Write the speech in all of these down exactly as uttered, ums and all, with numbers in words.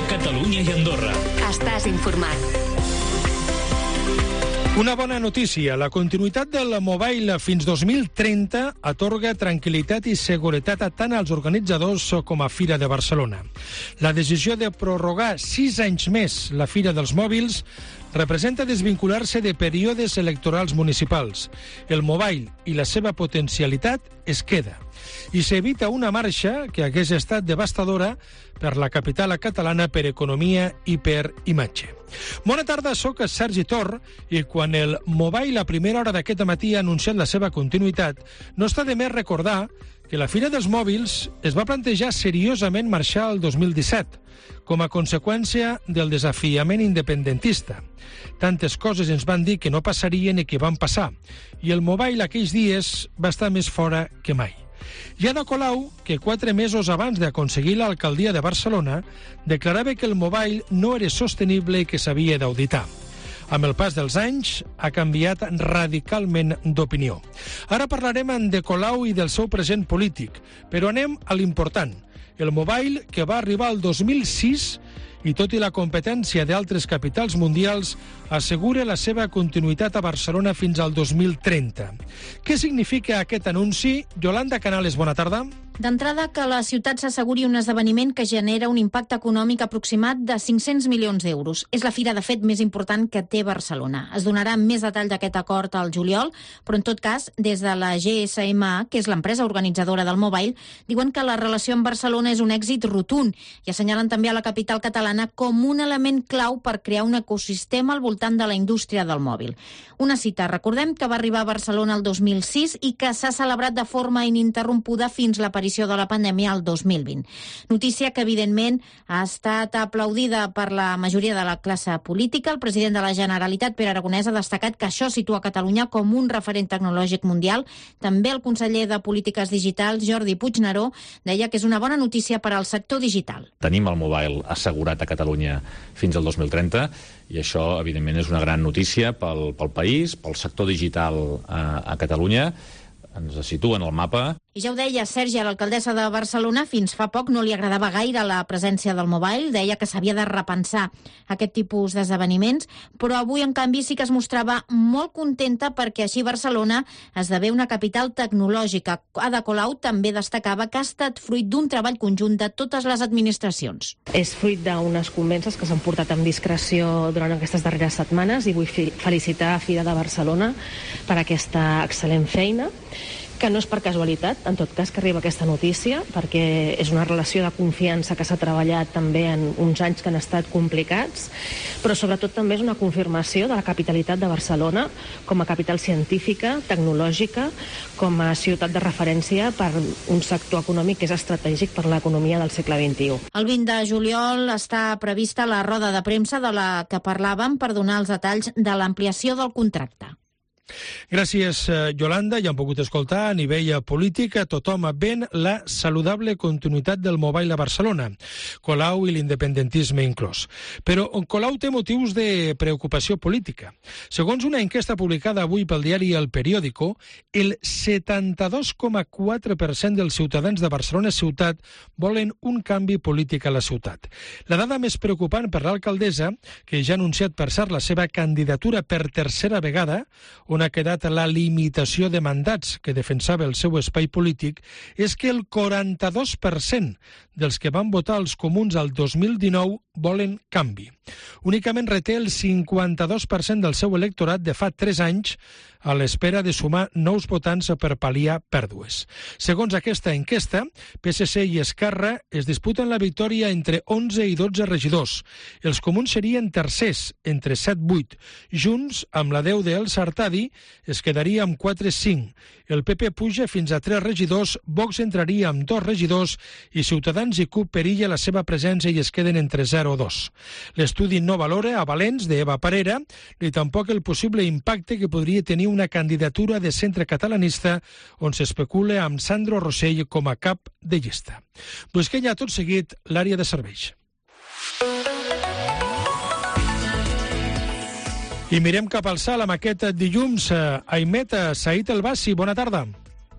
Catalunya i Andorra. Estàs informat. Una bona notícia. La continuïtat del Mobile fins dos mil trenta atorga tranquil·litat i seguretat a tant als organitzadors com a Fira de Barcelona. La decisió de prorrogar sis anys més la Fira dels Mòbils representa desvincular-se de períodes electorals municipals. El Mobile i la seva potencialitat es queda. I s'evita una marxa que hagués estat devastadora per la capital catalana per economia i per imatge. Bona tarda, soc Sergi Tor i quan el Mobile a primera hora d'aquest matí ha anunciat la seva continuïtat, no està de més recordar que la Fira dels Mòbils es va plantejar seriosament marxar el dos mil disset, com a conseqüència del desafiament independentista. Tantes coses ens van dir que no passarien i que van passar, i el Mobile aquells dies va estar més fora que mai. I Ada Colau, que quatre mesos abans d'aconseguir l'alcaldia de Barcelona, declarava que el Mobile no era sostenible i que s'havia d'auditar. Amb el pas dels anys, ha canviat radicalment d'opinió. Ara parlarem de Colau i del seu present polític, però anem a l'important. El Mobile, que va arribar al dos mil sis i tot i la competència d'altres capitals mundials, assegura la seva continuïtat a Barcelona fins al dos mil trenta. Què significa aquest anunci? Yolanda Canales, bona tarda. D'entrada, que la ciutat s'asseguri un esdeveniment que genera un impacte econòmic aproximat de cinc-cents milions d'euros. És la fira, de fet, més important que té Barcelona. Es donarà més detall d'aquest acord al juliol, però en tot cas, des de la G S M A, que és l'empresa organitzadora del Mobile, diuen que la relació amb Barcelona és un èxit rotund i assenyalen també a la capital catalana com un element clau per crear un ecosistema al voltant de la indústria del mòbil. Una cita, recordem que va arribar a Barcelona el dos mil sis i que s'ha celebrat de forma ininterrompuda fins l'aparició de la pandèmia al dos mil vint. Notícia que, evidentment, ha estat aplaudida per la majoria de la classe política. El president de la Generalitat, Pere Aragonès, ha destacat que això situa Catalunya com un referent tecnològic mundial. També el conseller de Polítiques Digitals, Jordi Puigneró, deia que és una bona notícia per al sector digital. Tenim el Mobile assegurat a Catalunya fins al dos mil trenta i això, evidentment, és una gran notícia pel, pel país, pel sector digital a, a Catalunya. Ens situen al mapa. I ja ho deia Sergi, l'alcaldessa de Barcelona, fins fa poc no li agradava gaire la presència del Mobile, deia que s'havia de repensar aquest tipus d'esdeveniments, però avui, en canvi, sí que es mostrava molt contenta perquè així Barcelona esdevé una capital tecnològica. Ada Colau també destacava que ha estat fruit d'un treball conjunt de totes les administracions. És fruit d'unes convences que s'han portat amb discreció durant aquestes darreres setmanes i vull felicitar a Fira de Barcelona per aquesta excel·lent feina, que no és per casualitat, en tot cas, que arriba aquesta notícia, perquè és una relació de confiança que s'ha treballat també en uns anys que han estat complicats, però sobretot també és una confirmació de la capitalitat de Barcelona com a capital científica, tecnològica, com a ciutat de referència per un sector econòmic que és estratègic per l'economia del segle vint-i-u. El vint de juliol està prevista la roda de premsa de la que parlàvem per donar els detalls de l'ampliació del contracte. Gràcies, Yolanda. Ja hem pogut escoltar a nivell polític a tothom ven la saludable continuïtat del Mobile a Barcelona, Colau i l'independentisme inclòs. Però Colau té motius de preocupació política. Segons una enquesta publicada avui pel diari El Periódico, el setanta-dos coma quatre per cent dels ciutadans de Barcelona ciutat volen un canvi polític a la ciutat. La dada més preocupant per l'alcaldessa, que ja ha anunciat per cert la seva candidatura per tercera vegada, on ha quedat la limitació de mandats que defensava el seu espai polític, és que el quaranta-dos per cent dels que van votar els comuns al dos mil dinou volen canvi. Únicament reté el cinquanta-dos per cent del seu electorat de fa tres anys a l'espera de sumar nous votants per pal·liar pèrdues. Segons aquesta enquesta, P S C i Esquerra es disputen la victòria entre onze i dotze regidors. Els comuns serien tercers, entre set i vuit. Junts, amb la deu d'El Sartadi, es quedaria amb quatre a cinc. El P P puja fins a tres regidors, Vox entraria amb dos regidors i Ciutadans i C U P perilla la seva presència i es queden entre zero i dos. L'estudi no valora a Valens, d'Eva Parera, ni tampoc el possible impacte que podria tenir una candidatura de centre catalanista on s'especula amb Sandro Rossell com a cap de llista. Busquem ja tot seguit l'àrea de serveis. I mirem cap al cel amb aquest dilluns. Aimet Said El Bassi, bona tarda.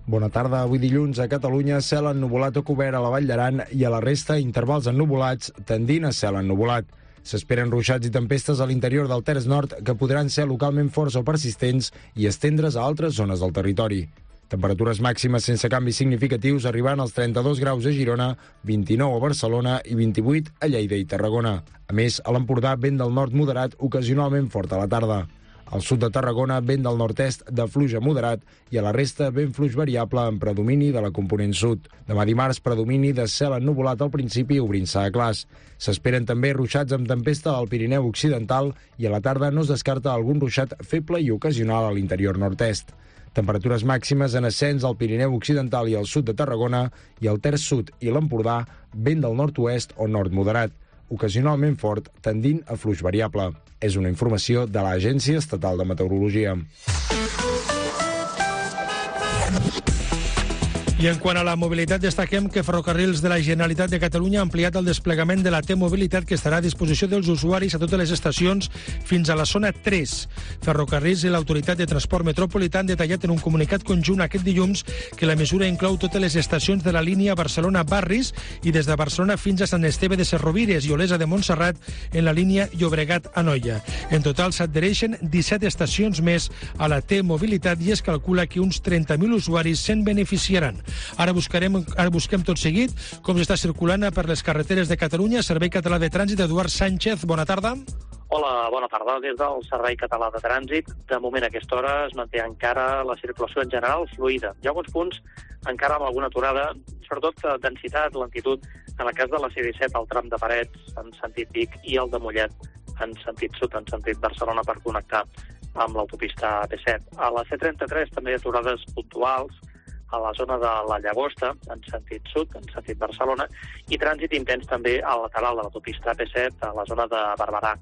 Bona tarda. Avui dilluns a Catalunya, cel ennuvolat o cobert a la Vall d'Aran i a la resta intervals ennuvolats tendint a cel ennuvolat. S'esperen ruixats i tempestes a l'interior del terç nord que podran ser localment forts o persistents i estendre's a altres zones del territori. Temperatures màximes sense canvis significatius arribant als trenta-dos graus a Girona, vint-i-nou a Barcelona i vint-i-vuit a Lleida i Tarragona. A més, a l'Empordà, vent del nord moderat, ocasionalment fort a la tarda. Al sud de Tarragona, vent del nord-est de fluix a moderat i a la resta vent fluix variable amb predomini de la component sud. Demà dimarts, predomini de cel ennuvolat al principi obrint-se a clars. S'esperen també ruixats amb tempesta al Pirineu occidental i a la tarda no es descarta algun ruixat feble i ocasional a l'interior nord-est. Temperatures màximes en ascens al Pirineu occidental i al sud de Tarragona i al terç sud i l'Empordà, vent del nord-oest o nord moderat, ocasionalment fort, tendint a fluix variable. És una informació de l'Agència Estatal de Meteorologia. I en quant a la mobilitat, destaquem que Ferrocarrils de la Generalitat de Catalunya ha ampliat el desplegament de la T-Mobilitat que estarà a disposició dels usuaris a totes les estacions fins a la zona tres. Ferrocarrils i l'Autoritat de Transport Metropolità han detallat en un comunicat conjunt aquest dilluns que la mesura inclou totes les estacions de la línia Barcelona-Barris i des de Barcelona fins a Sant Esteve de Serrovires i Olesa de Montserrat en la línia Llobregat-Anoia. En total s'adhereixen disset estacions més a la T-Mobilitat i es calcula que uns trenta mil usuaris se'n beneficiaran. Ara buscarem, ara busquem tot seguit com s'està circulant per les carreteres de Catalunya. Servei Català de Trànsit, Eduard Sánchez, bona tarda. Hola, bona tarda. Des del Servei Català de Trànsit, de moment a aquesta hora es manté encara la circulació en general fluida. Hi ha alguns punts encara amb alguna aturada, sobretot densitat, lentitud, en el cas de la C disset, el tram de Parets en sentit Vic i el de Mollet en sentit sud, en sentit Barcelona per connectar amb l'autopista A P set. A la C trenta-tres també hi ha aturades puntuals a la zona de la Llagosta, en sentit sud, en sentit Barcelona, i trànsit intens també al lateral de l'autopista A P set, a la zona de Barberà,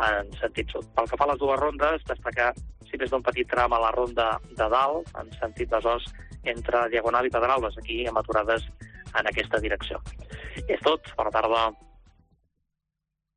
en sentit sud. Pel que fa a les dues rondes, destacar, si més d'un petit tram a la ronda de dalt, en sentit Besòs, entre Diagonal i Pedralbes, aquí amb aturades en aquesta direcció. És tot, bona tarda.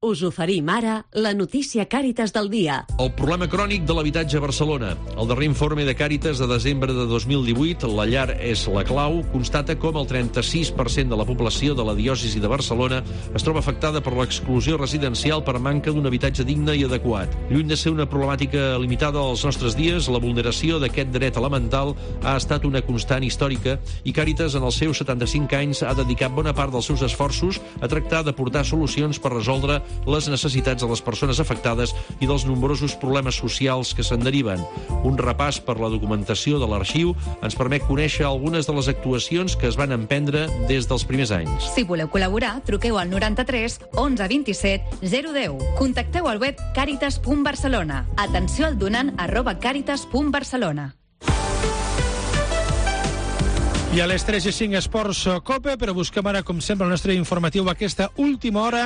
Us oferim ara la notícia Càritas del dia. El problema crònic de l'habitatge a Barcelona. El darrer informe de Càritas de desembre de dos mil divuit, La llar és la clau, constata com el trenta-sis per cent de la població de la diòcesi de Barcelona es troba afectada per l'exclusió residencial per manca d'un habitatge digne i adequat. Lluny de ser una problemàtica limitada als nostres dies, la vulneració d'aquest dret elemental ha estat una constant històrica i Càritas, en els seus setanta-cinc anys, ha dedicat bona part dels seus esforços a tractar d'aportar solucions per resoldre les necessitats de les persones afectades i dels nombrosos problemes socials que se'n deriven. Un repàs per la documentació de l'arxiu ens permet conèixer algunes de les actuacions que es van emprendre des dels primers anys. Si voleu col·laborar, truqueu al noranta-tres onze vint-i-set zero deu. Contacteu al web càritas punt barcelona. Atenció al donant arroba càritas punt barcelona. I a les tres i cinc Esports Copa, però busquem ara, com sempre, el nostre informatiu aquesta última hora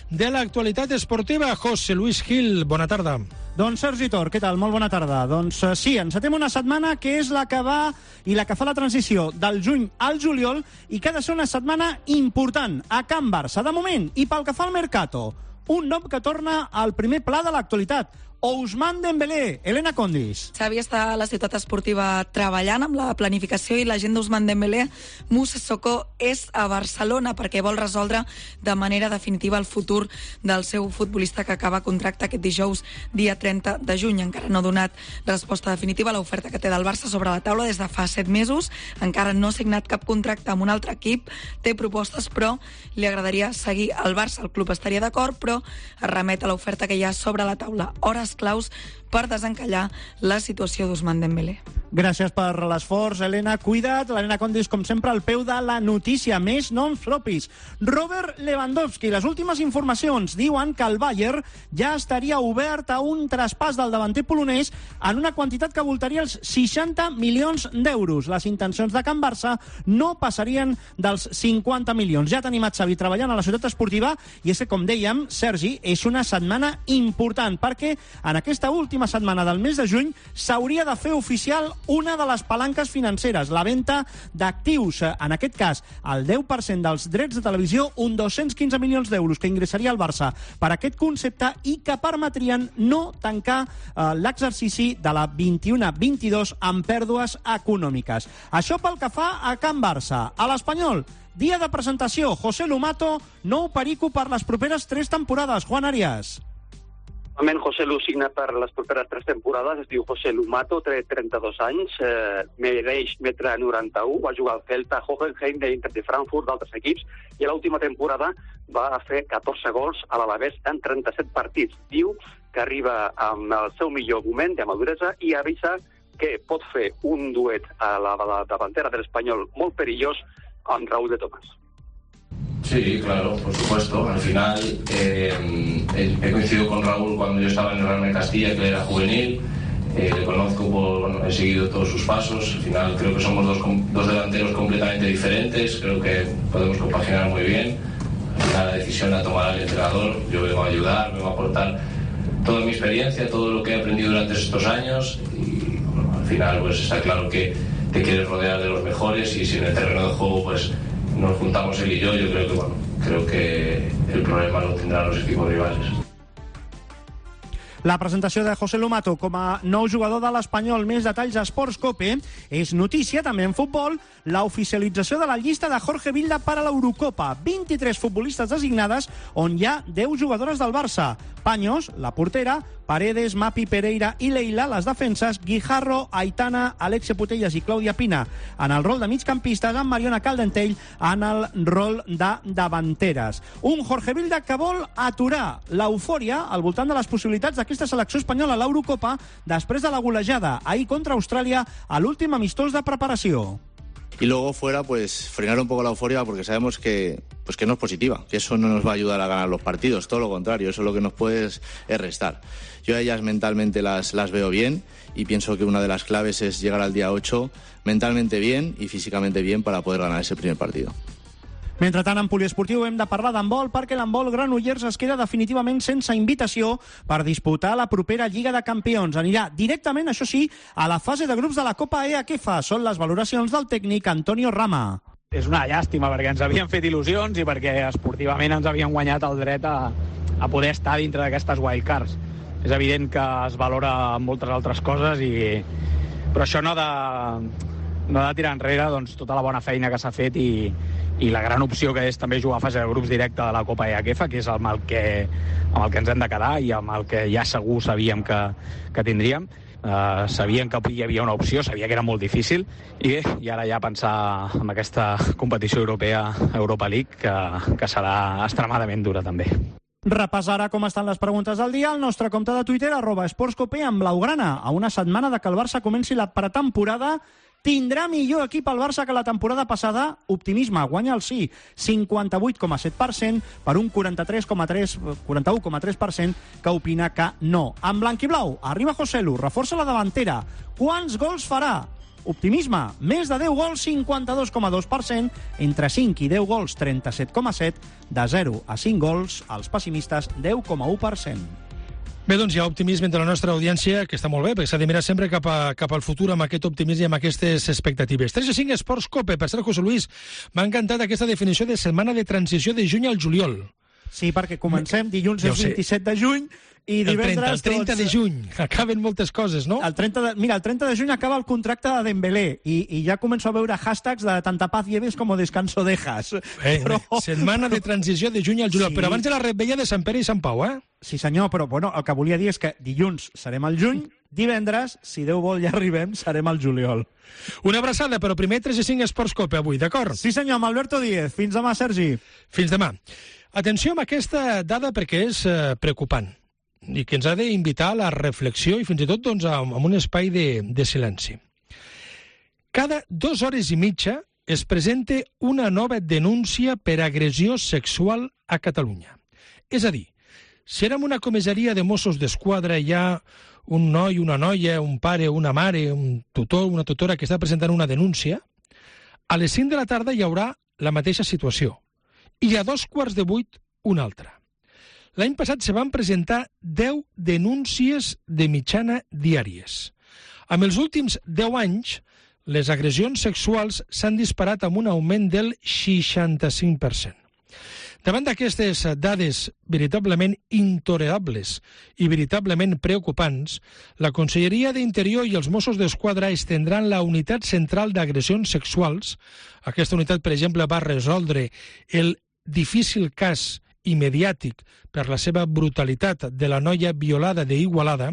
de l'actualitat esportiva. José Luis Gil, bona tarda. Doncs Sergi Tor, què tal? Molt bona tarda. Doncs uh, sí, encetem una setmana que és la que va i la que fa la transició del juny al juliol i que ha de ser una setmana important a Can Barça. De moment, i pel que fa al Mercato, un nom que torna al primer pla de l'actualitat. Ousmane Dembélé, Elena Condis. Xavi està a la ciutat esportiva treballant amb la planificació i l'agent d'Ousmane Dembélé. Moussa Sissoko és a Barcelona perquè vol resoldre de manera definitiva el futur del seu futbolista que acaba contracte aquest dijous, dia trenta de juny. Encara no ha donat resposta definitiva a l'oferta que té del Barça sobre la taula des de fa set mesos. Encara no ha signat cap contracte amb un altre equip. Té propostes, però li agradaria seguir al Barça. El club estaria d'acord, però es remet a l'oferta que hi ha sobre la taula. Hores claus per desencallar la situació d'Ousmane Dembélé. Gràcies per l'esforç, Helena. Cuida't, l'Helena Condis, com sempre, al peu de la notícia. Més noms propis. Robert Lewandowski. Les últimes informacions diuen que el Bayern ja estaria obert a un traspàs del davanter polonès en una quantitat que voltaria els seixanta milions d'euros. Les intencions de Can Barça no passarien dels cinquanta milions. Ja tenim a Xavi treballant a la ciutat esportiva i és que, com dèiem, Sergi, és una setmana important perquè en aquesta última setmana del mes de juny s'hauria de fer oficial una de les palanques financeres, la venda d'actius, en aquest cas el deu per cent dels drets de televisió, un dos-cents quinze milions d'euros que ingressaria al Barça per aquest concepte i que permetrien no tancar eh, l'exercici de la vint-i-u vint-i-dos amb pèrdues econòmiques. Això pel que fa a Can Barça. A l'Espanyol, dia de presentació, José Lumato, nou perico per les properes tres temporades. Juan Arias. Normalment José Lu signa per les properes tres temporades, es diu José Lumato, té trenta-dos anys, eh, medeix metre noranta-u, va jugar al Celta, Hoffenheim, d'Inter de Frankfurt, d'altres equips, i a l'última temporada va fer catorze gols a l'Alavés en trenta-set partits. Diu que arriba amb el seu millor moment de maduresa i avisa que pot fer un duet a la, a la davantera de l'Espanyol molt perillós amb Raúl de Tomás. Sí, claro, por supuesto. Al final eh, he coincidido con Raúl cuando yo estaba en el Real de Castilla, que él era juvenil. Eh, le conozco, por, bueno, he seguido todos sus pasos. Al final creo que somos dos, dos delanteros completamente diferentes. Creo que podemos compaginar muy bien. Al final la decisión la tomará el entrenador. Yo vengo a ayudar, vengo a aportar toda mi experiencia, todo lo que he aprendido durante estos años. Y bueno, al final pues está claro que te quieres rodear de los mejores y si en el terreno de juego pues nos juntamos él y yo, yo creo que bueno, creo que el problema lo tendrán los equipos rivales. La presentació de José Lumato com a nou jugador de l'Espanyol. Més detalls a Sports Cope. És notícia també en futbol la oficialització de la llista de Jorge Vilda per a l'Eurocopa. vint-i-tres futbolistes designades on hi ha deu jugadores del Barça. Paños, la portera, Paredes, Mapi, Pereira i Leila, les defenses, Guijarro, Aitana, Alexia Putellas i Clàudia Pina en el rol de migcampistes, amb Mariona Caldentell en el rol de davanteres. Un Jorge Vilda que vol aturar l'eufòria al voltant de les possibilitats d'aquesta selecció espanyola a l'Eurocopa després de la golejada ahir contra Austràlia a l'últim amistós de preparació. Y luego fuera, pues frenar un poco la euforia porque sabemos que, pues, que no es positiva, que eso no nos va a ayudar a ganar los partidos, todo lo contrario, eso lo que nos puede es, es restar. Yo a ellas mentalmente las, las veo bien y pienso que una de las claves es llegar al día ocho mentalmente bien y físicamente bien para poder ganar ese primer partido. Mentrestant, en poliesportiu hem de parlar d'handbol perquè l'handbol Granollers es queda definitivament sense invitació per disputar la propera Lliga de Campions. Anirà directament, això sí, a la fase de grups de la Copa E A Q F A. Són les valoracions del tècnic Antonio Rama. És una llàstima perquè ens havien fet il·lusions i perquè esportivament ens havien guanyat el dret a, a poder estar dintre d'aquestes wildcards. És evident que es valora moltes altres coses, i... però això no ha de, no ha de tirar enrere doncs, tota la bona feina que s'ha fet i, i la gran opció que és també jugar a fase de grups directe de la Copa E A Q F A, que és amb el que, amb el que ens hem de quedar i amb el que ja segur sabíem que, que tindríem. Uh, sabien que hi havia una opció, sabia que era molt difícil, i bé, i ara ja pensar en aquesta competició europea, Europa League, que, que serà extremadament dura també. Repassarà com estan les preguntes del dia al nostre compte de Twitter, arroba esportscope, amb blaugrana. A una setmana de que el Barça comenci la pretemporada, tindrà millor equip el Barça que la temporada passada? Optimisme, guanya el sí, cinquanta-vuit coma set per cent per un quaranta-tres coma tres, quaranta-u coma tres per cent que opina que no. En blanc i blau, arriba José Lu, reforça la davantera. Quants gols farà? Optimisme, més de deu gols, cinquanta-dos coma dos per cent, entre cinc i deu gols, trenta-set coma set, de zero a cinc gols, els pessimistes, deu coma u per cent. Bé, doncs hi ha optimisme entre la nostra audiència, que està molt bé, perquè s'ha de mirar sempre cap, a, cap al futur amb aquest optimisme i amb aquestes expectatives. tres a cinc Esports Cope. Per cert, José Luis, m'ha encantat aquesta definició de setmana de transició de juny al juliol. Sí, perquè comencem dilluns ja és vint-i-set de juny i divendres... El trenta, el trenta de juny. Acaben moltes coses, no? El trenta de, mira, el trenta de juny acaba el contracte de Dembélé i, i ja començo a veure hashtags de tanta paz lleves com descanso dejas. Eh, però... Setmana de transició de juny al juliol, sí. Però abans de la revetlla de Sant Pere i Sant Pau, eh? Sí, senyor, però bueno, el que volia dir és que dilluns serem al juny, divendres, si Déu vol ja arribem, serem al juliol. Una abraçada, però primer tres a cinc Esports Cope avui, d'acord? Sí, senyor, amb Alberto Díez. Fins demà, Sergi. Fins demà. Atenció amb aquesta dada perquè és eh, preocupant i que ens ha d'invitar a la reflexió i fins i tot doncs, a, a un espai de, de silenci. Cada dues hores i mitja es presenta una nova denúncia per agressió sexual a Catalunya. És a dir, si érem una comissaria de Mossos d'Esquadra hi ha un noi, una noia, un pare, una mare, un tutor, una tutora que està presentant una denúncia, a les cinc de la tarda hi haurà la mateixa situació i a dos quarts de vuit una altra. L'any passat se van presentar deu denúncies de mitjana diàries. Amb els últims deu anys, les agressions sexuals s'han disparat amb un augment del seixanta-cinc per cent. Davant d'aquestes dades veritablement intolerables i veritablement preocupants, la Conselleria d'Interior i els Mossos d'Esquadra estendran la unitat central d'agressions sexuals. Aquesta unitat, per exemple, va resoldre el difícil cas i mediàtic per la seva brutalitat de la noia violada d'Igualada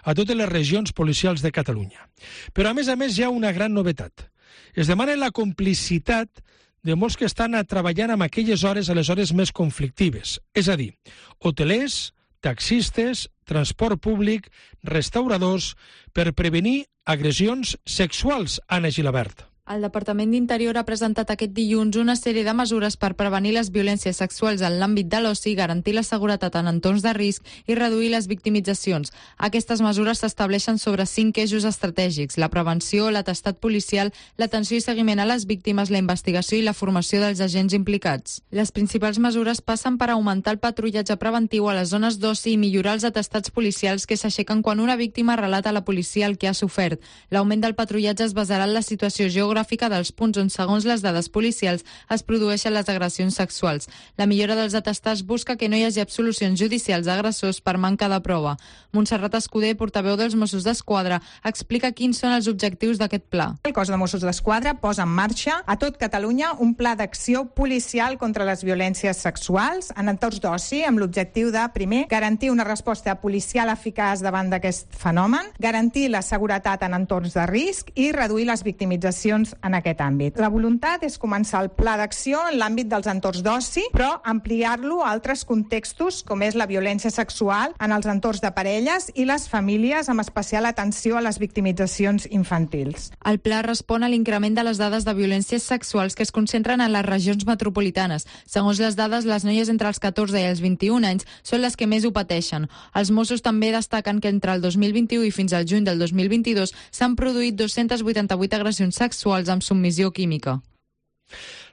a totes les regions policials de Catalunya. Però, a més a més, hi ha una gran novetat. Es demana la complicitat de molts que estan treballant en aquelles hores, a les hores més conflictives. És a dir, hotelers, taxistes, transport públic, restauradors, per prevenir agressions sexuals, Anna Gilabert. El Departament d'Interior ha presentat aquest dilluns una sèrie de mesures per prevenir les violències sexuals en l'àmbit de l'oci, garantir la seguretat en entorns de risc i reduir les victimitzacions. Aquestes mesures s'estableixen sobre cinc eixos estratègics: la prevenció, l'atestat policial, l'atenció i seguiment a les víctimes, la investigació i la formació dels agents implicats. Les principals mesures passen per augmentar el patrullatge preventiu a les zones d'oci i millorar els atestats policials que s'aixequen quan una víctima relata a la policia el que ha sofert. L'augment del patrullatge es basarà en la situació geogràfica dels punts on, segons les dades policials, es produeixen les agressions sexuals. La millora dels atestats busca que no hi hagi absolucions judicials d'agressors per manca de prova. Montserrat Escudé, portaveu dels Mossos d'Esquadra, explica quins són els objectius d'aquest pla. El cos de Mossos d'Esquadra posa en marxa a tot Catalunya un pla d'acció policial contra les violències sexuals en entorns d'oci, amb l'objectiu de, primer, garantir una resposta policial eficaç davant d'aquest fenomen, garantir la seguretat en entorns de risc i reduir les victimitzacions en aquest àmbit. La voluntat és començar el pla d'acció en l'àmbit dels entorns d'oci, però ampliar-lo a altres contextos, com és la violència sexual en els entorns de parelles i les famílies, amb especial atenció a les victimitzacions infantils. El pla respon a l'increment de les dades de violències sexuals que es concentren en les regions metropolitanes. Segons les dades, les noies entre els catorze i els vint-i-un anys són les que més ho pateixen. Els Mossos també destaquen que entre el dos mil vint-i-u i fins al juny del dos mil vint-i-dos s'han produït dos-centes vuitanta-vuit agressions sexuals amb submissió química.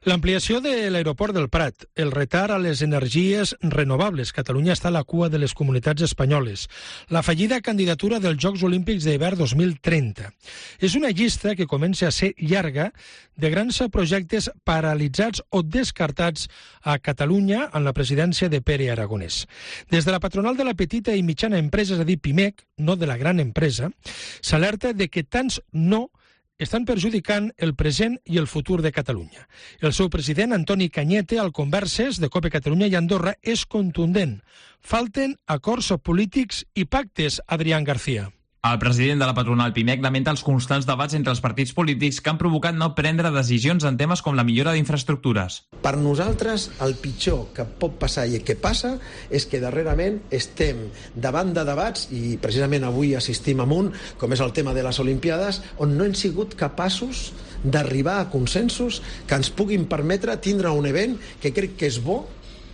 L'ampliació de l'aeroport del Prat, el retard a les energies renovables. Catalunya està a la cua de les comunitats espanyoles. La fallida candidatura dels Jocs Olímpics d'hivern dos mil trenta. És una llista que comença a ser llarga de grans projectes paralitzats o descartats a Catalunya en la presidència de Pere Aragonès. Des de la patronal de la petita i mitjana empresa, és a dir, PIMEC, no de la gran empresa, s'alerta de que tants no estan perjudicant el present i el futur de Catalunya. El seu president, Antoni Cañete, al Converses de COPE Catalunya i Andorra, és contundent. Falten acords polítics i pactes, Adrián García. El president de la patronal PIMEC lamenta els constants debats entre els partits polítics que han provocat no prendre decisions en temes com la millora d'infraestructures. Per nosaltres, el pitjor que pot passar i que passa és que darrerament estem davant de debats, i precisament avui assistim a un, com és el tema de les Olimpiades, on no hem sigut capaços d'arribar a consensos que ens puguin permetre tindre un event que crec que és bo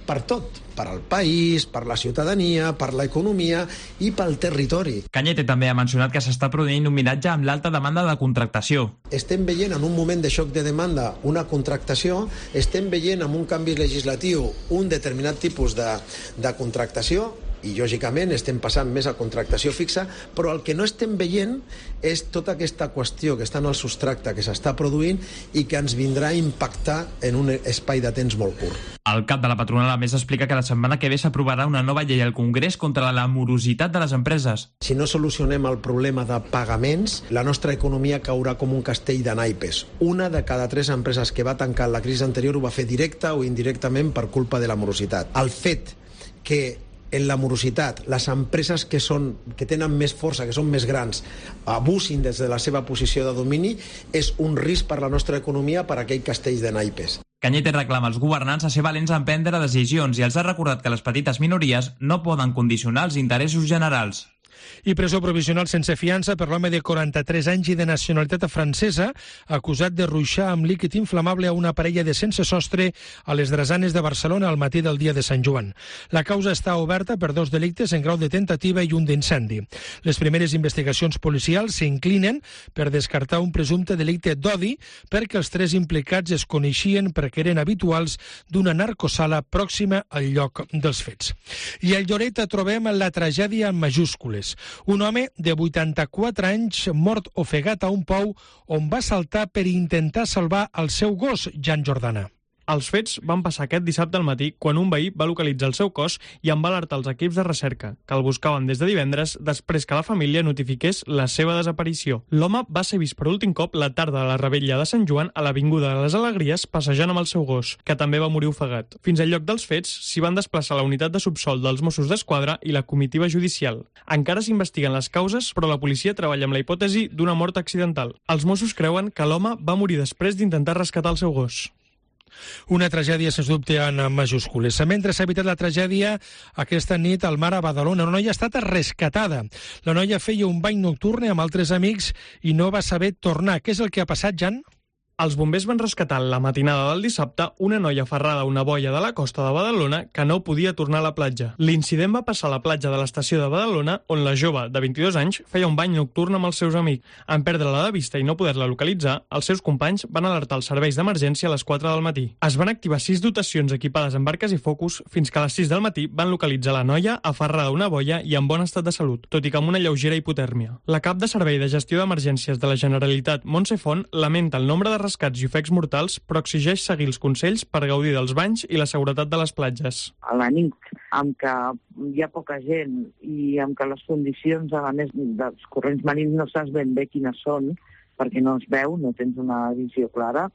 per tot, per al país, per la ciutadania, per l'economia i pel territori. Cañete també ha mencionat que s'està produint un miratge amb l'alta demanda de contractació. Estem veient en un moment de xoc de demanda una contractació, estem veient en un canvi legislatiu un determinat tipus de, de contractació, i lògicament estem passant més a contractació fixa, però el que no estem veient és tota aquesta qüestió que està en el substracte que s'està produint i que ens vindrà a impactar en un espai de temps molt curt. El cap de la patronal a més explica que la setmana que ve s'aprovarà una nova llei al Congrés contra la morositat de les empreses. Si no solucionem el problema de pagaments, la nostra economia caurà com un castell de naipes. Una de cada tres empreses que va tancar en la crisi anterior ho va fer directa o indirectament per culpa de la morositat. El fet que en la morositat, les empreses que, són, que tenen més força, que són més grans, abusin des de la seva posició de domini, és un risc per la nostra economia, per aquell castell de naipes. Cañete reclama als governants a ser valents en prendre decisions i els ha recordat que les petites minories no poden condicionar els interessos generals. I presó provisional sense fiança per l'home de quaranta-tres anys i de nacionalitat francesa, acusat de ruixar amb líquid inflamable a una parella de sense sostre a les Drassanes de Barcelona al matí del dia de Sant Joan. La causa està oberta per dos delictes en grau de tentativa i un d'incendi. Les primeres investigacions policials s'inclinen per descartar un presumpte delicte d'odi perquè els tres implicats es coneixien perquè eren habituals d'una narcosala pròxima al lloc dels fets. I al Lloret trobem la tragèdia en majúscules. Un home de vuitanta-quatre anys mort ofegat a un pou on va saltar per intentar salvar el seu gos, Jan Jordana. Els fets van passar aquest dissabte al matí quan un veí va localitzar el seu cos i en va alertar els equips de recerca, que el buscaven des de divendres després que la família notifiqués la seva desaparició. L'home va ser vist per últim cop la tarda de la revetlla de Sant Joan a l'Avinguda de les Alegries passejant amb el seu gos, que també va morir ofegat. Fins al lloc dels fets s'hi van desplaçar la unitat de subsol dels Mossos d'Esquadra i la comitiva judicial. Encara s'investiguen les causes, però la policia treballa amb la hipòtesi d'una mort accidental. Els Mossos creuen que l'home va morir després d'intentar rescatar el seu gos. Una tragèdia, sens dubte, en majúscules. Mentre s'ha evitat la tragèdia, aquesta nit al mar a Badalona, una noia ha estat rescatada. La noia feia un bany nocturn amb altres amics i no va saber tornar. Què és el que ha passat, Jan? Els bombers van rescatar la matinada del dissabte una noia aferrada a una boia de la costa de Badalona que no podia tornar a la platja. L'incident va passar a la platja de l'estació de Badalona, on la jove, de vint-i-dos anys, feia un bany nocturn amb els seus amics. En perdre-la de vista i no poder-la localitzar, els seus companys van alertar els serveis d'emergència a les quatre del matí. Es van activar sis dotacions equipades amb barques i focus fins que a les sis del matí van localitzar la noia aferrada a una boia i en bon estat de salut, tot i que amb una lleugera hipotèrmia. La cap de Servei de Gestió d'Emergències de la Generalitat, Montse Font, lamenta el nombre de rescats i ofecs mortals, però exigeix seguir els consells per gaudir dels banys i la seguretat de les platges. A la nit, amb que hi ha poca gent i amb que les condicions, a més dels corrents marins, no saps ben bé quines són, perquè no es veu, no tens una visió clara,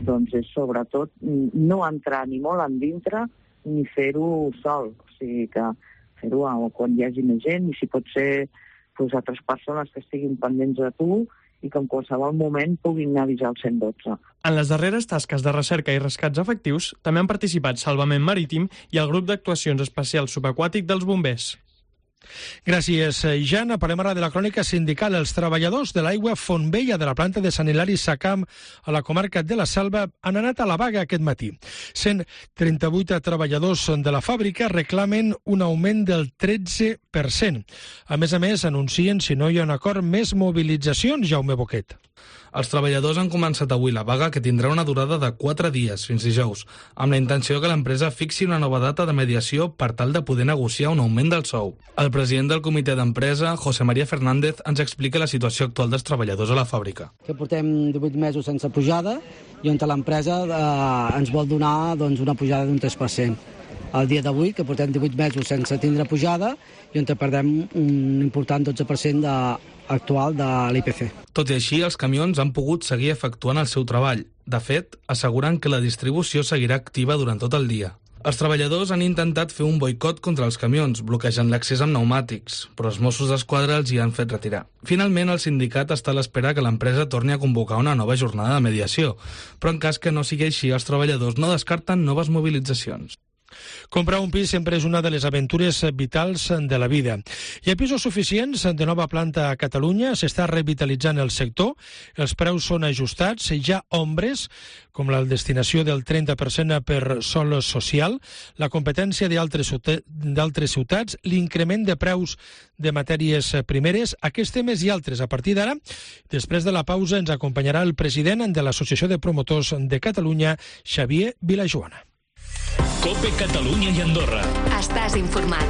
doncs és sobretot no entrar ni molt endintre ni fer-ho sol. O sigui que fer-ho quan hi hagi més gent i si pot ser doncs, altres persones que estiguin pendents de tu i que en qualsevol moment puguin avisar el cent dotze. En les darreres tasques de recerca i rescats efectius també han participat Salvament Marítim i el grup d'actuacions especials subaquàtic dels bombers. Gràcies, Jan. Parlem ara de la crònica sindical. Els treballadors de l'aigua Fontvella de la planta de Sant Hilari Sacamp a la comarca de la Selva han anat a la vaga aquest matí. cent trenta-vuit treballadors de la fàbrica reclamen un augment del tretze per cent. A més a més, anuncien, si no hi ha un acord, més mobilitzacions, Jaume Boquet. Els treballadors han començat avui la vaga, que tindrà una durada de quatre dies, fins dijous, amb la intenció que l'empresa fixi una nova data de mediació per tal de poder negociar un augment del sou. El president del comitè d'empresa, José María Fernández, ens explica la situació actual dels treballadors a la fàbrica. Que portem divuit mesos sense pujada i on l'empresa eh, ens vol donar doncs, una pujada d'un tres per cent. El dia d'avui, que portem divuit mesos sense tindre pujada i on perdem un important dotze per cent de actual de l'I P C. Tot i així, els camions han pogut seguir efectuant el seu treball. De fet, asseguren que la distribució seguirà activa durant tot el dia. Els treballadors han intentat fer un boicot contra els camions, bloquejant l'accés amb pneumàtics, però els Mossos d'Esquadra els hi han fet retirar. Finalment, el sindicat està a l'espera que l'empresa torni a convocar una nova jornada de mediació, però en cas que no sigui així, els treballadors no descarten noves mobilitzacions. Comprar un pis sempre és una de les aventures vitals de la vida. Hi ha pisos suficients de nova planta a Catalunya, s'està revitalitzant el sector, els preus són ajustats, hi ha ombres, com la destinació del trenta per cent per sòl social, la competència d'altres ciutats, l'increment de preus de matèries primeres, aquests temes i altres a partir d'ara. Després de la pausa ens acompanyarà el president de l'Associació de Promotors de Catalunya, Xavier Vilajoana. COPE Catalunya i Andorra. Estàs informat.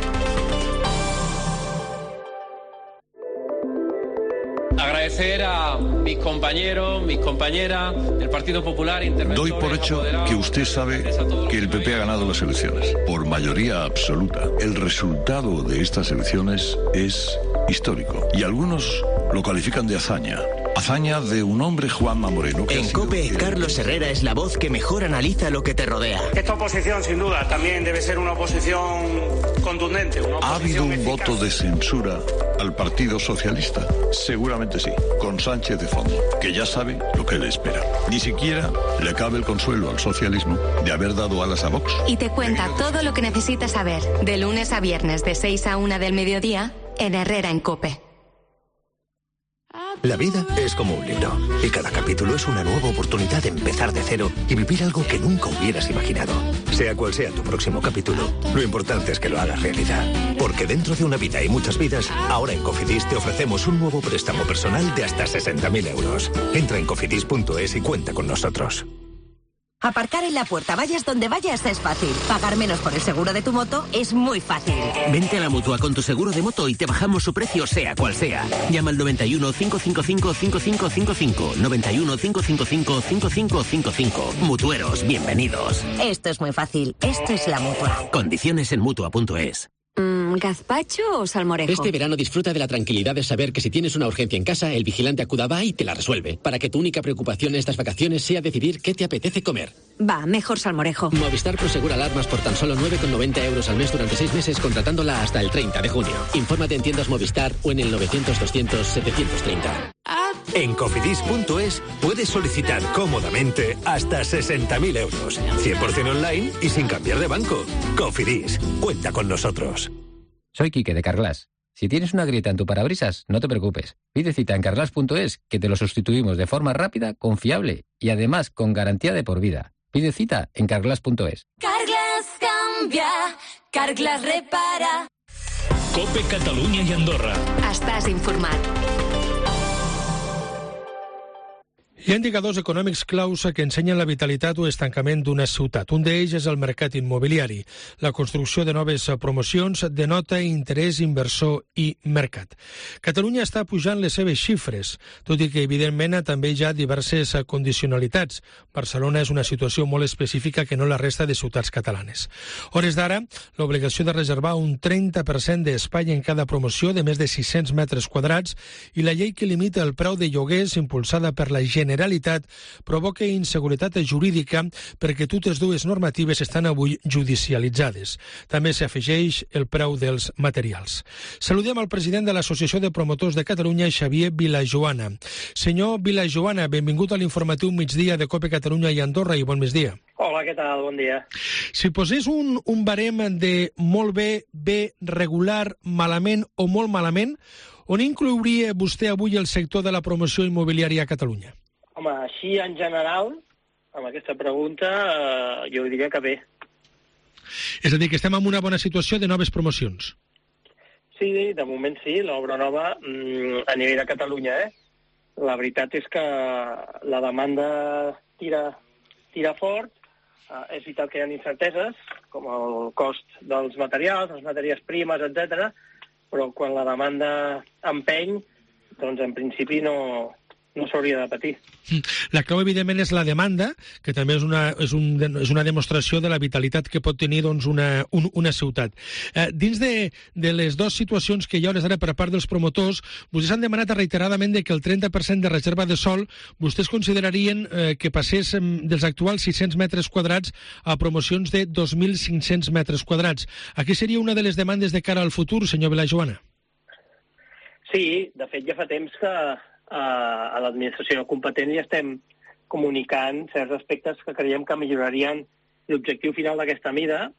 Agradecer a mis compañeros, mis compañeras del Partido Popular. Doy por hecho que usted sabe que el P P ha ganado las elecciones por mayoría absoluta. El resultado de estas elecciones es histórico y algunos lo califican de hazaña. Hazaña de un hombre, Juanma Moreno. En COPE, Carlos Herrera es la voz que mejor analiza lo que te rodea. Esta oposición, sin duda, también debe ser una oposición contundente. Una oposición ¿Ha habido un eficaz. voto de censura al Partido Socialista? Seguramente sí, con Sánchez de fondo, que ya sabe lo que le espera. Ni siquiera le cabe el consuelo al socialismo de haber dado alas a Vox. Y te cuenta todo lo que necesitas saber, de lunes a viernes de seis a una del mediodía, en Herrera en COPE. La vida es como un libro y cada capítulo es una nueva oportunidad de empezar de cero y vivir algo que nunca hubieras imaginado. Sea cual sea tu próximo capítulo, lo importante es que lo hagas realidad. Porque dentro de una vida y muchas vidas, ahora en Cofidis te ofrecemos un nuevo préstamo personal de hasta sesenta mil euros. Entra en cofidis punto es y cuenta con nosotros. Aparcar en la puerta, vayas donde vayas, es fácil. Pagar menos por el seguro de tu moto es muy fácil. Vente a la Mutua con tu seguro de moto y te bajamos su precio sea cual sea. Llama al noventa y uno, cinco cinco cinco, cinco cinco cinco cinco. noventa y uno, cinco cinco cinco, cinco cinco cinco cinco. Mutueros, bienvenidos. Esto es muy fácil. Esto es la Mutua. Condiciones en Mutua punto es. Mm, ¿Gazpacho o salmorejo? Este verano disfruta de la tranquilidad de saber que si tienes una urgencia en casa, el vigilante Acudaba y te la resuelve. Para que tu única preocupación en estas vacaciones sea decidir qué te apetece comer. Va, mejor salmorejo. Movistar Prosegura alarmas por tan solo nueve con noventa euros al mes durante seis meses contratándola hasta el treinta de junio. Infórmate en tiendas Movistar o en el novecientos, doscientos, setecientos treinta. En cofidis punto es puedes solicitar cómodamente hasta sesenta mil euros. cien por ciento online y sin cambiar de banco. Cofidis, cuenta con nosotros. Soy Quique de Carglass. Si tienes una grieta en tu parabrisas, no te preocupes. Pide cita en carglass punto es que te lo sustituimos de forma rápida, confiable y además con garantía de por vida. Pide cita en carglass punto es. Carglass cambia, Carglass repara. COPE Catalunya i Andorra. Estàs informat. Hi ha indicadors econòmics claus que ensenyen la vitalitat o estancament d'una ciutat. Un d'ells és el mercat immobiliari. La construcció de noves promocions denota interès inversor i mercat. Catalunya està pujant les seves xifres, tot i que, evidentment, també hi ha diverses condicionalitats. Barcelona és una situació molt específica que no la resta de ciutats catalanes. Hores d'ara, l'obligació de reservar un trenta per cent d'espai en cada promoció de més de sis-cents metres quadrats i la llei que limita el preu de lloguers impulsada per la Generalitat Generalitat provoca inseguretat jurídica perquè totes dues normatives estan avui judicialitzades. També s'afegeix el preu dels materials. Saludem al president de l'Associació de Promotors de Catalunya, Xavier Vilajoana. Senyor Vilajoana, benvingut a l'informatiu migdia de COPE Catalunya i Andorra i bon migdia. Hola, què tal? Bon dia. Si posés un, un barem de molt bé, bé, regular, malament o molt malament, on inclouria vostè avui el sector de la promoció immobiliària a Catalunya? Home, així en general, amb aquesta pregunta, eh, jo diria que bé. És a dir, que estem en una bona situació de noves promocions. Sí, de moment sí, l'obra nova mm, a nivell de Catalunya, eh? La veritat és que la demanda tira, tira fort, eh, és veritat que hi ha incerteses, com el cost dels materials, les matèries primes, etcètera, però quan la demanda empeny, doncs en principi no... no s'hauria de patir. La clau, evidentment, és la demanda, que també és una, és un, és una demostració de la vitalitat que pot tenir doncs, una, un, una ciutat. Eh, dins de, de les dues situacions que hi ha ara per part dels promotors, vostès han demanat reiteradament que el trenta per cent de reserva de sòl vostès considerarien eh, que passés dels actuals sis-cents metres quadrats a promocions de dos mil cinc-cents metres quadrats. Aquí seria una de les demandes de cara al futur, senyor Vilajoana? Sí, de fet ja fa temps que a l'administració competent i estem comunicant certs aspectes que creiem que millorarien l'objectiu final d'aquesta mida,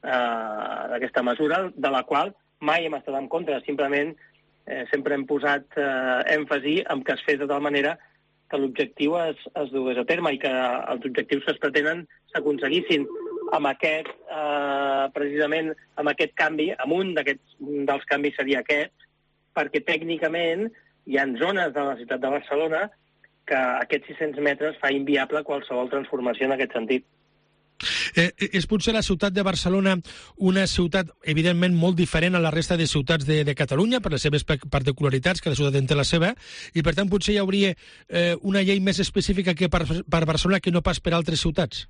eh, d'aquesta mesura, de la qual mai hem estat en contra. Simplement eh, sempre hem posat eh, èmfasi en que es fes de tal manera que l'objectiu es, es dugués a terme i que els objectius que es pretenen s'aconseguissin amb aquest, eh, precisament amb aquest canvi, amb un d'aquests dels canvis seria aquest, perquè tècnicament hi ha zones de la ciutat de Barcelona que aquests sis-cents metres fa inviable qualsevol transformació en aquest sentit. Eh, és potser la ciutat de Barcelona una ciutat, evidentment, molt diferent a la resta de ciutats de, de Catalunya per les seves particularitats, cada ciutat en té la seva, i per tant potser hi hauria eh, una llei més específica que per, per Barcelona que no pas per altres ciutats?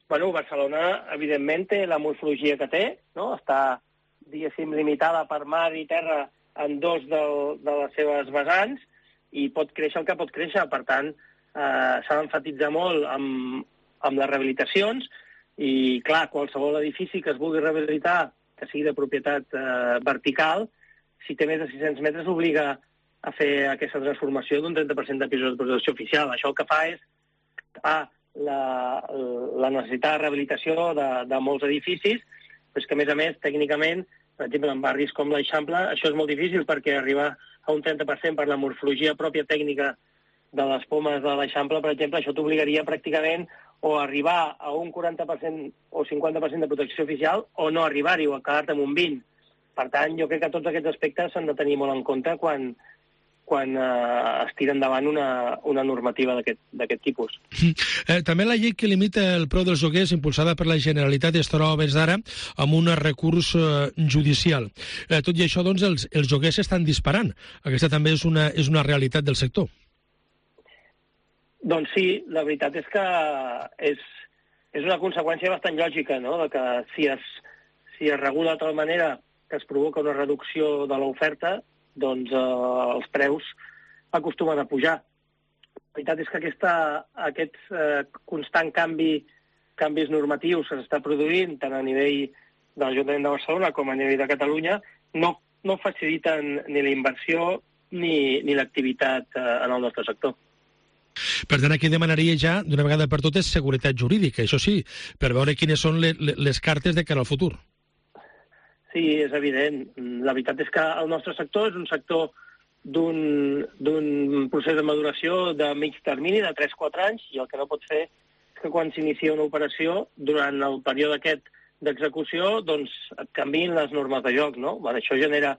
Bueno, Barcelona, evidentment, té la morfologia que té, no? Està, diguéssim, limitada per mar i terra en dos de, de les seves vessants i pot créixer el que pot créixer. Per tant, eh, s'ha d'emfatitzar molt amb, amb les rehabilitacions i, clar, qualsevol edifici que es vulgui rehabilitar, que sigui de propietat eh, vertical, si té més de sis-cents metres, obliga a fer aquesta transformació d'un trenta per cent de pisos de protecció oficial. Això el que fa és ah, la, la necessitat de rehabilitació de, de molts edificis, però és que, a més a més, tècnicament, Per exemple, en barris com l'Eixample, això és molt difícil perquè arribar a un trenta per cent per la morfologia pròpia tècnica de les pomes de l'Eixample, per exemple, això t'obligaria pràcticament o arribar a un quaranta per cent o cinquanta per cent de protecció oficial o no arribar-hi o quedar-te amb un vint. Per tant, jo crec que tots aquests aspectes s'han de tenir molt en compte quan, quan eh, es tira endavant una, una normativa d'aquest tipus. Eh, també la llei que limita el preu dels lloguers impulsada per la Generalitat es troba des d'ara amb un recurs eh, judicial. Eh, tot i això, doncs, els, els lloguers s'estan disparant. Aquesta també és una, és una realitat del sector. Doncs sí, la veritat és que és, és una conseqüència bastant lògica, no?, de que si es, si es regula de tal manera que es provoca una reducció de l'oferta, doncs eh, els preus acostumen a pujar. La veritat és que aquesta, aquest eh, constant canvi, canvis normatius que s'està produint tant a nivell de l'Ajuntament de Barcelona com a nivell de Catalunya no, no faciliten ni la inversió ni, ni l'activitat eh, en el nostre sector. Per tant, aquí demanaria ja, d'una vegada per totes, seguretat jurídica, això sí, per veure quines són les, les cartes de cara al futur. Sí, és evident. La veritat és que el nostre sector és un sector d'un procés de maduració de mig termini, de tres a quatre anys, i el que no pot fer és que quan s'inicia una operació, durant el període aquest d'execució, doncs et canviïn les normes de joc, no? Bueno, això genera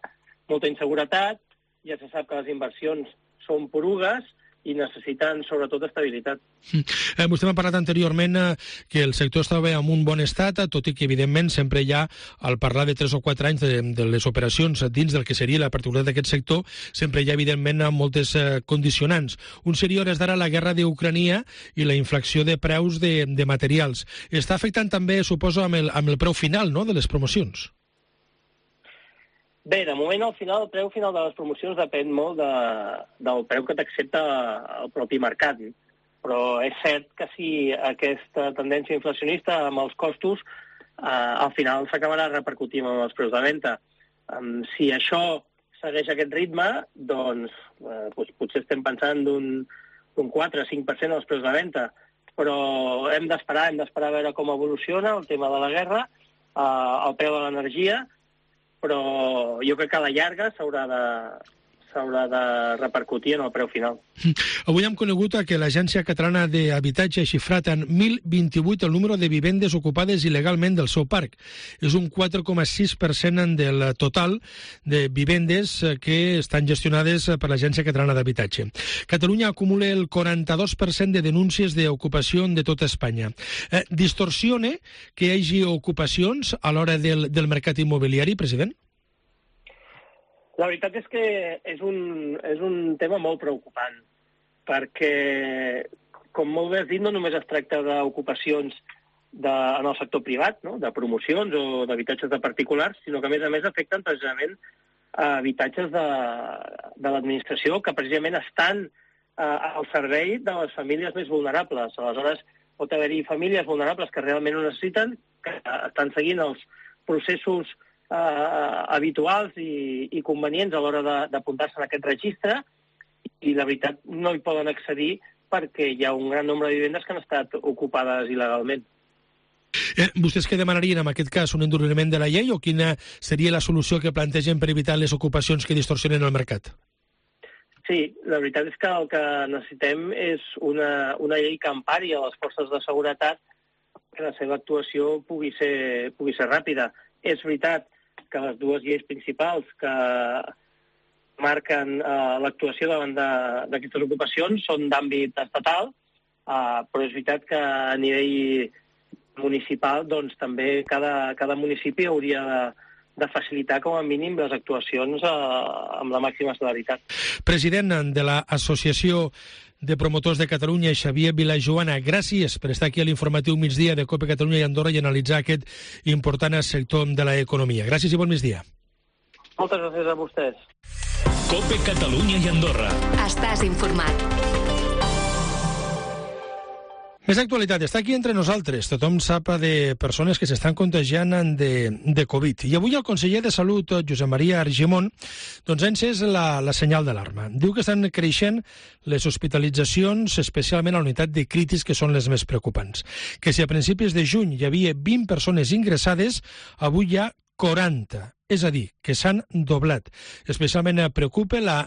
molta inseguretat, ja se sap que les inversions són porugues, i necessiten, sobretot, estabilitat. Eh, vostè m'ha parlat anteriorment eh, que el sector estava en un bon estat, tot i que, evidentment, sempre hi ha, al parlar de tres o quatre anys de, de les operacions dins del que seria la particularitat d'aquest sector, sempre hi ha, evidentment, moltes eh, condicionants. Un seria, hores d'ara, la guerra d'Ucrania i la inflació de preus de, de materials. Està afectant també, suposo, amb el, amb el preu final, no?, de les promocions. Bé, de moment, al final, el preu final de les promocions depèn molt de, del preu que t'accepta el propi mercat. Però és cert que si aquesta tendència inflacionista amb els costos, eh, al final s'acabarà repercutint en els preus de venda. Um, si això segueix aquest ritme, doncs, eh, doncs potser estem pensant d'un quatre a cinc per cent dels preus de venda. Però hem d'esperar, hem d'esperar a veure com evoluciona el tema de la guerra, eh, el preu de l'energia, però jo crec que a la llarga s'haurà de, s'haurà de repercutir en el preu final. Avui hem conegut que l'Agència Catalana d'Habitatge ha xifrat en mil vint-i-vuit el número de vivendes ocupades il·legalment del seu parc. És un quatre coma sis per cent del total de vivendes que estan gestionades per l'Agència Catalana d'Habitatge. Catalunya acumula el quaranta-dos per cent de denúncies d'ocupació de tota Espanya. Eh, distorsiona que hi hagi ocupacions a l'hora del, del mercat immobiliari, president? La veritat és que és un, és un tema molt preocupant, perquè, com molt bé has dit, no només es tracta d'ocupacions de, en el sector privat, no?, de promocions o d'habitatges de particulars, sinó que, a més a més, afecten precisament a habitatges de, de l'administració que precisament estan eh, al servei de les famílies més vulnerables. Aleshores, pot haver-hi famílies vulnerables que realment ho necessiten, que estan seguint els processos Uh, habituals i, i convenients a l'hora d'apuntar-se en aquest registre, i la veritat no hi poden accedir perquè hi ha un gran nombre de vivendes que han estat ocupades il·legalment. Eh, vostès què demanarien en aquest cas? Un enduriment de la llei o quina seria la solució que plantegen per evitar les ocupacions que distorsionen el mercat? Sí, la veritat és que el que necessitem és una, una llei que empari a les forces de seguretat que la seva actuació pugui ser, pugui ser ràpida. És veritat que les dues lleis principals que marquen eh, l'actuació davant d'aquestes ocupacions són d'àmbit estatal, eh, però és veritat que a nivell municipal doncs, també cada, cada municipi hauria de, de facilitar com a mínim les actuacions eh, amb la màxima celeritat. President de l'Associació de Promotors de Catalunya, Xavier Vilajoana, gràcies per estar aquí a l'informatiu migdia de COPE Catalunya i Andorra i analitzar aquest important sector de l'economia. Gràcies i bon migdia. Moltes gràcies a vostès. COPE Catalunya i Andorra. Estàs informat. Més actualitat, està aquí entre nosaltres. Tothom sap de persones que s'estan contagiant de, de Covid. I avui el conseller de Salut, Josep Maria Argimon, doncs ha encès la, la senyal d'alarma. Diu que estan creixent les hospitalitzacions, especialment a la unitat de crítics, que són les més preocupants. Que si a principis de juny hi havia vint persones ingressades, avui hi ha quaranta, és a dir, que s'han doblat. Especialment preocupa la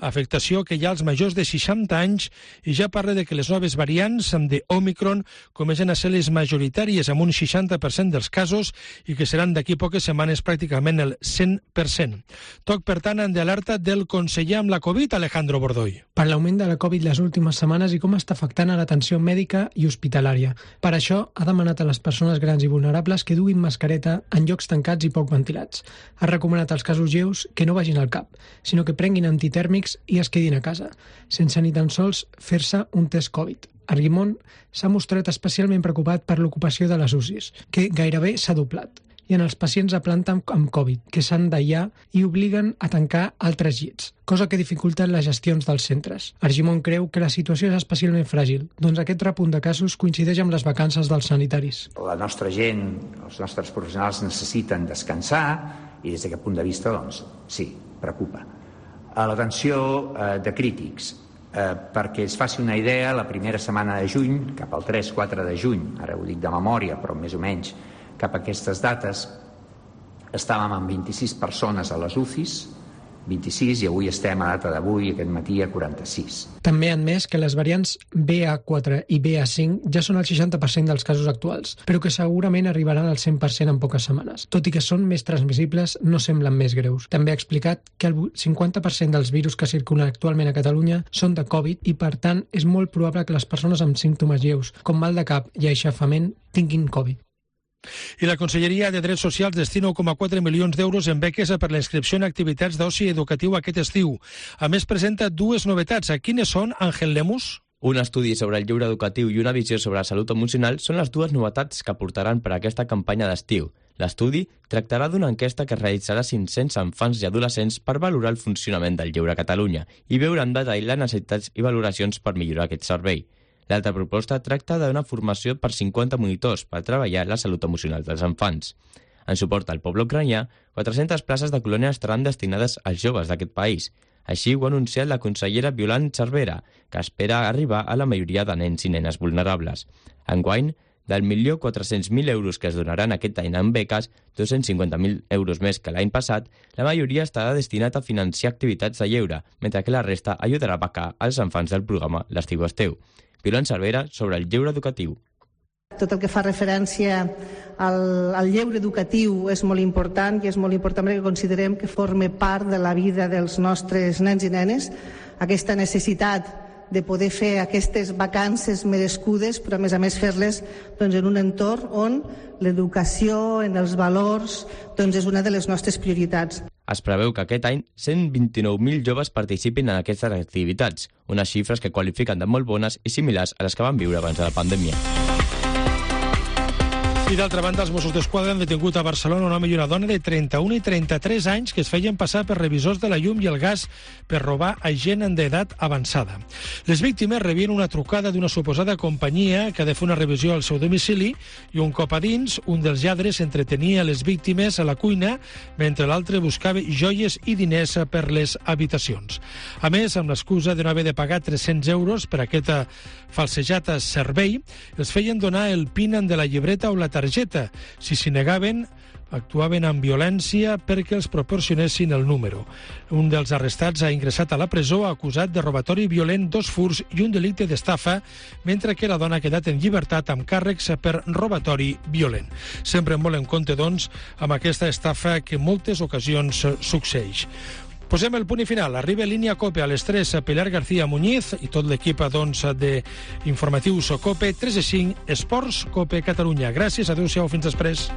afectació que hi ha als majors de seixanta anys i ja parla de que les noves variants de Omicron comencen a ser les majoritàries amb un seixanta per cent dels casos i que seran d'aquí poques setmanes pràcticament el cent per cent. Toc, per tant, de alerta del conseller amb la Covid, Alejandro Bordoy. Per l'augment de la Covid les últimes setmanes i com està afectant a l'atenció mèdica i hospitalària. Per això ha demanat a les persones grans i vulnerables que duguin mascareta en llocs tancats i poc ventilats. Ha recomanat als casos lleus que no vagin al cap, sinó que prenguin antitèrmics i es quedin a casa, sense ni tan sols fer-se un test Covid. Argimon s'ha mostrat especialment preocupat per l'ocupació de les U C Is, que gairebé s'ha doblat, i en els pacients a planta amb Covid, que s'han d'aïllar i obliguen a tancar altres llits, cosa que dificulta les gestions dels centres. Argimon creu que la situació és especialment fràgil, doncs aquest repunt de casos coincideix amb les vacances dels sanitaris. La nostra gent, els nostres professionals necessiten descansar i des d'aquest punt de vista, doncs, sí, preocupa. A l'atenció eh, de crítics, eh, perquè es faci una idea, la primera setmana de juny, cap al tres quatre de juny, ara ho dic de memòria, però més o menys cap a aquestes dates, estàvem amb vint-i-sis persones a les U C Is, vint-i-sis, i avui estem a data d'avui, aquest matí, a quaranta-sis. També ha admès que les variants B A quatre i B A cinc ja són el seixanta per cent dels casos actuals, però que segurament arribaran al cent per cent en poques setmanes. Tot i que són més transmissibles, no semblen més greus. També ha explicat que el cinquanta per cent dels virus que circulen actualment a Catalunya són de Covid i, per tant, és molt probable que les persones amb símptomes lleus, com mal de cap i aixafament, tinguin Covid. I la Conselleria de Drets Socials destina un coma quatre milions d'euros en beques per la inscripció en activitats d'oci educatiu aquest estiu. A més, presenta dues novetats. Quines són, Àngel Lemus? Un estudi sobre el lleure educatiu i una visió sobre la salut emocional són les dues novetats que portaran per a aquesta campanya d'estiu. L'estudi tractarà d'una enquesta que realitzarà cinc-cents infants i adolescents per valorar el funcionament del lleure a Catalunya i veure en detall les necessitats i valoracions per millorar aquest servei. L'altra proposta tracta d'una formació per cinquanta monitors per treballar la salut emocional dels infants. En suport al poble ucranià, quatre-centes places de colònia estaran destinades als joves d'aquest país. Així ho ha anunciat la consellera Violant Cervera, que espera arribar a la majoria de nens i nenes vulnerables. Enguany, del milió quatre-cents mil euros que es donaran aquest any en beques, dos-cents cinquanta mil euros més que l'any passat, la majoria estarà destinat a financiar activitats de lleure, mentre que la resta ajudarà a becar els infants del programa L'Estiu Esteu. Violant Cervera sobre el lleure educatiu. Tot el que fa referència al, al lleure educatiu és molt important i és molt important perquè considerem que forma part de la vida dels nostres nens i nenes, aquesta necessitat de poder fer aquestes vacances merescudes, però a més a més fer-les doncs, en un entorn on l'educació, en els valors, doncs, és una de les nostres prioritats. Es preveu que aquest any cent vint-i-nou mil joves participin en aquestes activitats, unes xifres que qualifiquen de molt bones i similars a les que van viure abans de la pandèmia. I d'altra banda, els Mossos d'Esquadra han detingut a Barcelona un home i una dona de trenta-un i trenta-tres anys que es feien passar per revisors de la llum i el gas per robar a gent d'edat avançada. Les víctimes rebien una trucada d'una suposada companyia que ha de fer una revisió al seu domicili i un cop a dins, un dels lladres entretenia les víctimes a la cuina mentre l'altre buscava joies i diners per les habitacions. A més, amb l'excusa de no haver de pagar tres-cents euros per aquest falsejat servei, els feien donar el PIN de la llibreta o la targeta. Si s'hi negaven, actuaven amb violència perquè els proporcionessin el número. Un dels arrestats ha ingressat a la presó acusat de robatori violent, dos furts i un delicte d'estafa, mentre que la dona ha quedat en llibertat amb càrrecs per robatori violent. Sempre molt en compte, doncs, amb aquesta estafa que en moltes ocasions succeeix. Posem el punt i final. Arriba línia COPE a les tres Pilar García Muñiz i tot l'equip doncs, d'informatius COPE. tres i cinc, Esports COPE Catalunya. Gràcies, adéu-siau, fins després.